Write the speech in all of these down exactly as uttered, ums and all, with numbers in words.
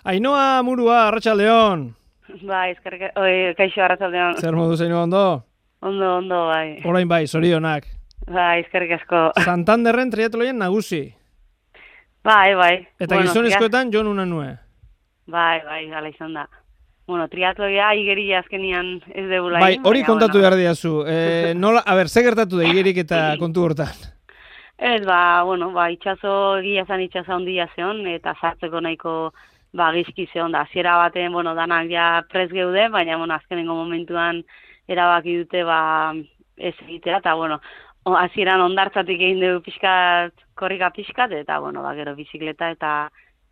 Ainhoa Murua, Arratsaldeon. Bai, eskerrik, oi, kaixo Arratsaldeon. Zer modu zein ondo? Ondo, ondo, bai. Orain bai, zorionak. Bai, eskerrik asko. Santanderren triatloien nagusi. Bai, bai. Eta bueno, gizonezkoetan jon una nue. Bai, bai, hala izan da. Bueno, triatloia igeria azkenian ez degula. Bai, hori kontatu behar diazu. E, nola, a ber, ze gertatu da igerik eta kontu hortan? Ez, ba, bueno, ba, itxaso, egia zan itxaso handia zeon, eta sartzeko nahiko ba, gizki zeon da. Hasiera baten, bueno, danak ja pres geude, baina, bueno, azkenengo momentuan erabaki dute, ba, ez egitera, eta, bueno, hasieran ondartzatik egin dugu pixkat, korrika pixkat, eta, bueno, ba, gero bizikleta eta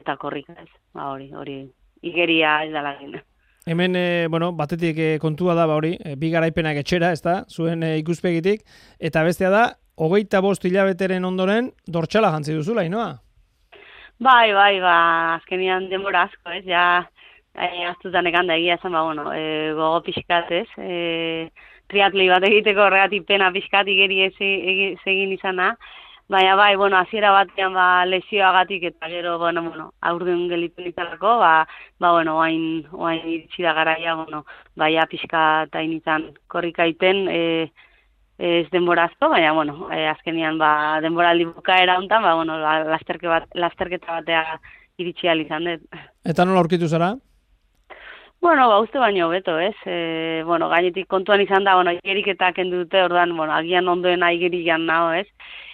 eta korrika ez. Ba, hori, hori, igeria ez dala egin. Hemen, e, bueno, batetik e, kontua da, ba, hori, e, bi garaipenak etxera, ez da, zuen e, ikuspegitik, eta bestea da, hogeita bost hilabeteren ondoren, dortxala jantzi duzula, Ainhoa? Bai, bai, ba, azkenian denbora asko, ez, ja, e, aztutan ekan da egia zen, ba, bueno, e, gogo pixkat, ez, e, triatloi bat egiteko horregatik pena pixkat igeri ez egin izana, baina bai, bueno, hasiera batean ba, lesioagatik eta gero, bueno, bueno, aurden gelitu nitalako, ba, ba, bueno, oain, oain iritsi da garaia, bueno, baia pixka eta initan korrika iten, e, ez denbora asko, baina, bueno, e, azkenian, ba, denbora bukaera hontan, ba, bueno, lasterke bat, lasterketa batea iritsi ahal izan dut. Eta nola aurkitu zara? Bueno, ba, uste baino beto, ez? E, bueno, gainetik kontuan izan da, bueno, igeriketak kendu dute, ordan, bueno, agian ondoena igerikan nago, ez?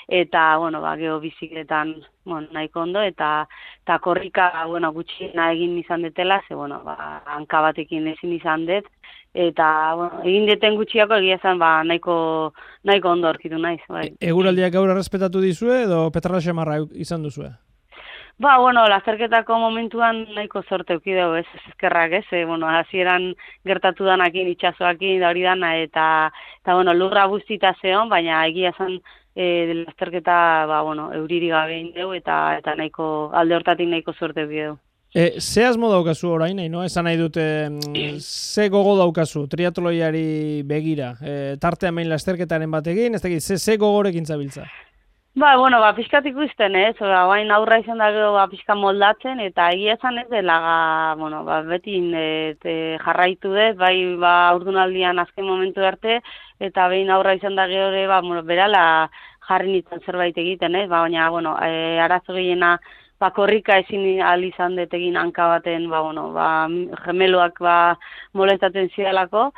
Eta, bueno, ba, geho bizikletan, bueno, nahiko ondo, eta, eta korrika, bueno, gutxiena egin izan detela, ze, bueno, ba, hanka batekin ezin izan dut, eta, bueno, egin deten gutxiako egia zen, ba, nahiko, nahiko ondo aurkitu naiz, bai. E, eguraldiak gaur errespetatu dizue, edo petrala xamarra izan duzue? Ba, bueno, lasterketako momentuan nahiko zorte eukideu, ez, ezkerrak, ez, e, bueno, hasieran gertatu danakin, itxasoakin, da hori dana, eta, eta, bueno, lurra buztita zeon, baina egia zen, e, lasterketa, ba, bueno, euriri gabe indeu, eta, eta nahiko, alde hortatik nahiko zorte eukideu. E, ze asmo daukazu orain, no? Esan nahi dute, ze gogo daukazu triatloiari begira? E, tartean behin lasterketaren batekin, ez dakit, ze, ze gogorekin zabiltza? Ba, bueno, ba, pixkat ikusten, ez, ba, bain aurra izan da gero, ba, pixka moldatzen, eta egia esan ez dela, bueno, ba, beti et, e, jarraitu dut, bai, ba, urdunaldian azken momentu arte, eta behin aurra izan da gero, ba, bueno, berala jarri nintzen zerbait egiten, ez, ba, baina, bueno, e, arazo gehiena, ba, korrika ezin ahal izan dut egin hanka baten, ba, bueno, ba, gemeloak, ba, molestatzen zidalako,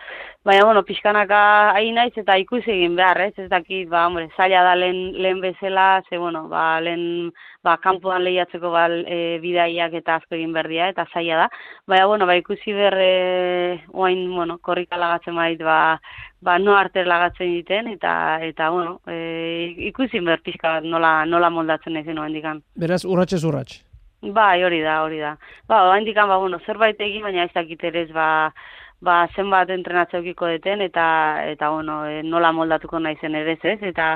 baina, bueno, pixkanaka hain naiz eta ikusi egin behar, ez, ez dakit, ba, hombre, zaila da lehen, lehen bezala, ze, bueno, ba, lehen, ba, kanpoan lehiatzeko, ba, e, bidaiak eta asko egin berdia, eta zaila da, baina, bueno, ba, ikusi behar, e, oain, bueno, korrika lagatzen bait, ba, ba, no arter lagatzen egiten, eta, eta, bueno, e, ikusi behar pixka bat nola, nola moldatzen nahi zen oendikan. Beraz, urratxez urratx. Bai, hori da, hori da. Ba, oendikan, ba, bueno, zerbait egin, baina ez dakit ere ez, ba, ba, zenbat entrenatzeukiko deten, eta, eta, bueno, e, nola moldatuko nahi zen ere ez, eta,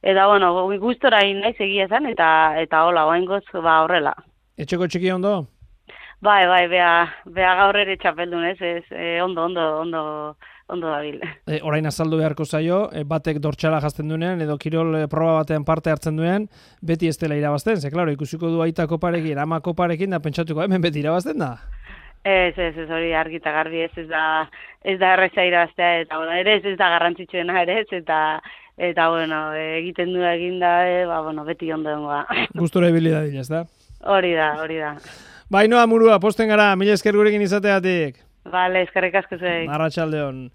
eta, bueno, gustora egin nahi egia zen, eta, eta, hola, oaingoz, ba, horrela. Etxeko txiki ondo? Bai, bai, bea, bea gaur ere txapeldun, ez, ez, e, ondo, ondo, ondo, ondo dabil. E, orain azaldu beharko zaio, e, batek dortxala jazten duenean, edo kirol e, proba batean parte hartzen duen, beti ez dela irabazten, ze, klaro, ikusiko du aita koparekin, ama koparekin, da pentsatuko, hemen beti irabazten da? Ez, ez, ez, hori argi eta garbi, ez, ez da, ez da erreza irabaztea, eta, bueno, ere ez, ez da garrantzitsuena ere, ez, eta, eta, bueno, egiten du eginda, e, ba, bueno, beti ondo dengoa. Gustura ibili da dila, ez da? Hori da, hori da. Ba, Ainhoa Murua, posten gara, mila esker gurekin izateatik. Vale, eskerrik asko zuei. Arratsaldeon.